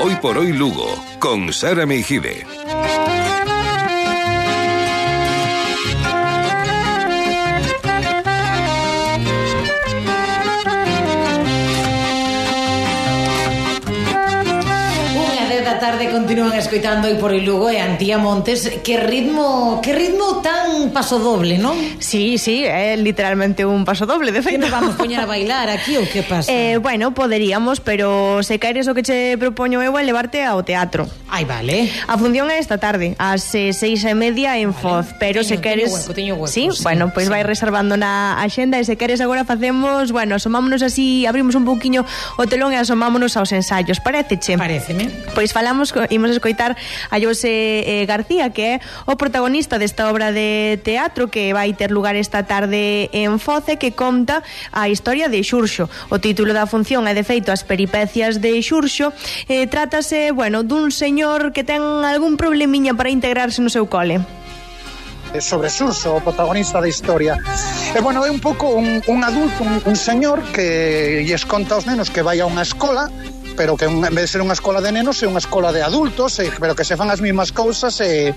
Hoy por Hoy Lugo, con Sara Meijide. Tarde continúan escoitando Hoy por Hoy Lugo e Antía Montes. Que ritmo tan pasodoble, non? Sí, é literalmente un pasodoble, de feito. Que nos vamos poñer a bailar aquí ou que pasa? Bueno, poderíamos, pero se queres o que che propoño eu é levarte ao teatro. Ai, vale. A función é esta tarde, ás 6:30 en Foz, pero se queres... Teño hueco, sí, bueno, pois vai reservando na axenda e se queres agora facemos, bueno, asomámonos así, abrimos un pouquiño o telón e asomámonos aos ensaios. Paréceche? Paréceme. Pois imos escoitar a José García, que é o protagonista desta obra de teatro que vai ter lugar esta tarde en Foz e que conta a historia de Xurxo. O título da función é de feito As peripecias de Xurxo. Trátase, bueno, dun señor que ten algún problemiña para integrarse no seu cole. Sobre Xurxo, o protagonista da historia. E bueno, é un pouco un adulto, un señor que lles conta aos nenos que vai a unha escola, pero que en vez de ser unha escola de nenos é unha escola de adultos, pero que se fan as mesmas cousas e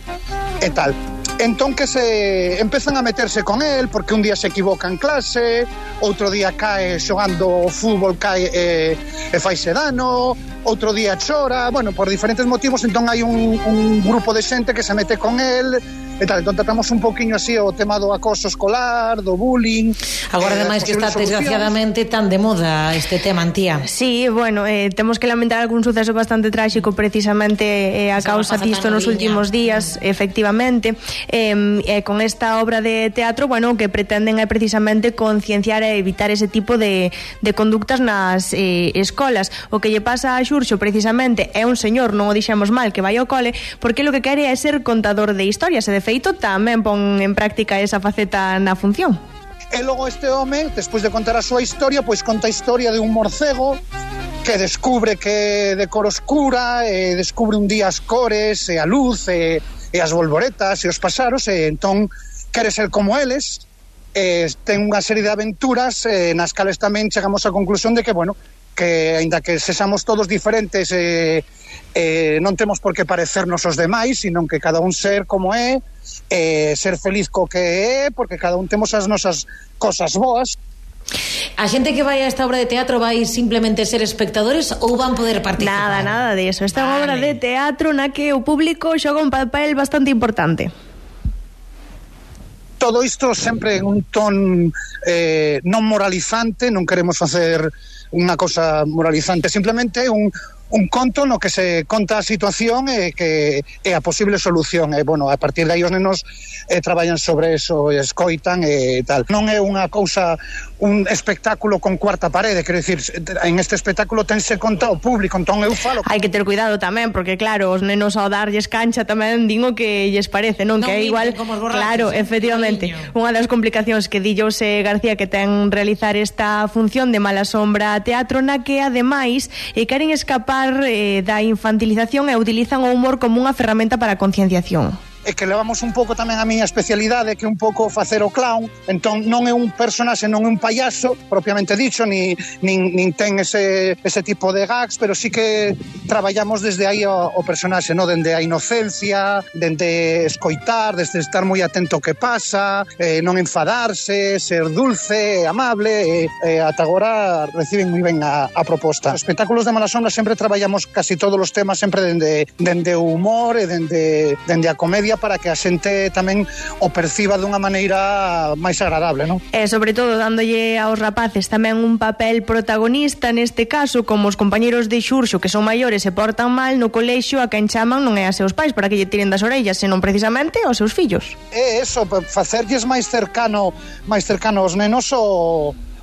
tal. Entón que se empezan a meterse con él porque un día se equivoca en clase, outro día cae xogando fútbol, cae e faise dano, outro día chora, bueno, por diferentes motivos. Entón hai un grupo de xente que se mete con él e tal. Entón tratamos un poquinho así o tema do acoso escolar, do bullying. Agora ademais que está desgraciadamente tan de moda este tema, Antía. Sí, bueno, temos que lamentar algún suceso bastante tráxico precisamente a causa disto nos últimos días, efectivamente. Con esta obra de teatro, bueno, que pretenden é precisamente concienciar e evitar ese tipo de conductas nas escolas. O que lle pasa a Xurxo precisamente é un señor, non o dixemos mal, que vai ao cole porque lo que quere é ser contador de historias e de feito tamén pon en práctica esa faceta na función. E logo este home, despois de contar a súa historia, pois conta a historia de un morcego que descubre que de cor oscura, e descubre un día as cores e a luz e as bolboretas e os paxaros, e entón quere ser como eles. Ten unha serie de aventuras nas cales tamén chegamos á conclusión de que, bueno, que aínda que sexamos todos diferentes, non temos por que parecernos aos demais, sino que cada un ser como é, ser feliz co que é, porque cada un temos as nosas cosas boas. A xente que vai a esta obra de teatro vai simplemente ser espectadores ou van poder participar? Nada de eso. Esta é unha obra de teatro na que o público xoga un papel bastante importante. Todo isto sempre en un ton non moralizante, non queremos facer unha cosa moralizante, simplemente un conto no que se conta a situación e a posible solución. E, bueno, a partir de aí os nenos traballan sobre eso, escoitan e tal. Non é unha cousa, un espectáculo con cuarta parede, quero dicir, en este espectáculo tense conta o público, entón eu falo. Hai que ter cuidado tamén, porque claro, os nenos ao darlles cancha tamén din o que lles parece, non? Que é igual, claro, efectivamente. Unha das complicacións que di José García que ten realizar esta función de Mala Sombra Teatro, na que ademais queren escapar da infantilización e utilizan o humor como unha ferramenta para a concienciación. E que levamos un pouco tamén a miña especialidade, que é un pouco facer o clown. Entón non é un personaxe, non é un payaso propiamente dicho, nin ten ese tipo de gags, pero sí que traballamos desde aí o personaxe, no? Dende a inocencia, dende escoitar, desde estar moi atento ao que pasa, non enfadarse, ser dulce, amable, ata agora reciben moi ben a proposta. Os espectáculos de Mala Sombra sempre traballamos casi todos os temas sempre dende o humor e dende a comedia, para que a xente tamén o perciba dunha maneira máis agradable, non? E sobre todo dándolle aos rapaces tamén un papel protagonista, neste caso, como os compañeros de Xurxo que son maiores e portan mal no colexio, a quen chaman non é a seus pais para que lle tiren das orellas, senón precisamente aos seus fillos. É eso, facerlles máis cercano aos nenos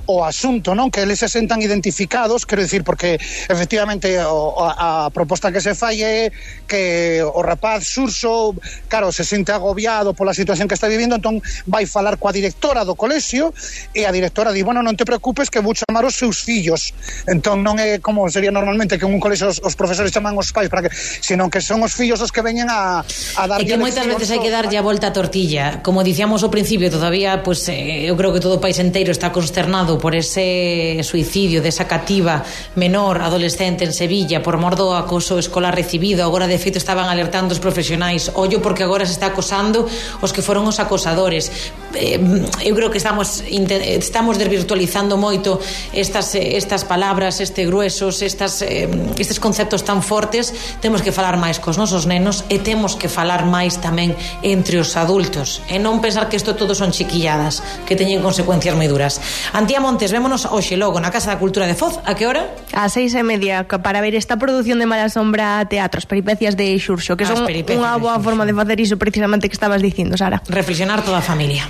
o asunto, non? Que eles se sentan identificados, quero dicir, porque efectivamente a proposta que se fai é que o rapaz Xurxo, claro, se sente agobiado pola situación que está vivindo, entón vai falar coa directora do colexio e a directora di, bueno, non te preocupes que vou chamar os seus fillos. Entón non é como sería normalmente que en un colexio os profesores chaman os pais, para que, senón que son os fillos os que veñen a darlle. E que moitas veces hai que darlle a volta a tortilla. Como dicíamos ao principio, todavía, pues, eu creo que todo o país inteiro está consternado condenado por ese suicidio desa cativa menor adolescente en Sevilla por mor do acoso escolar recibido. Agora, de feito, estaban alertando os profesionais: ollo, porque agora se está acosando os que foron os acosadores. Eu creo que estamos desvirtualizando moito estas palabras, gruesos, estes conceptos tan fortes. Temos que falar máis cos nosos nenos e temos que falar máis tamén entre os adultos e non pensar que isto todo son chiquilladas que teñen consecuencias moi duras. Antía Montes, vémonos hoxe logo na Casa da Cultura de Foz. A que hora? A 6:30, para ver esta produción de Mala Sombra Teatro, as peripecias de Xurxo, que son unha boa forma de facer iso precisamente que estabas dicindo, Sara. Reflexionar toda a familia.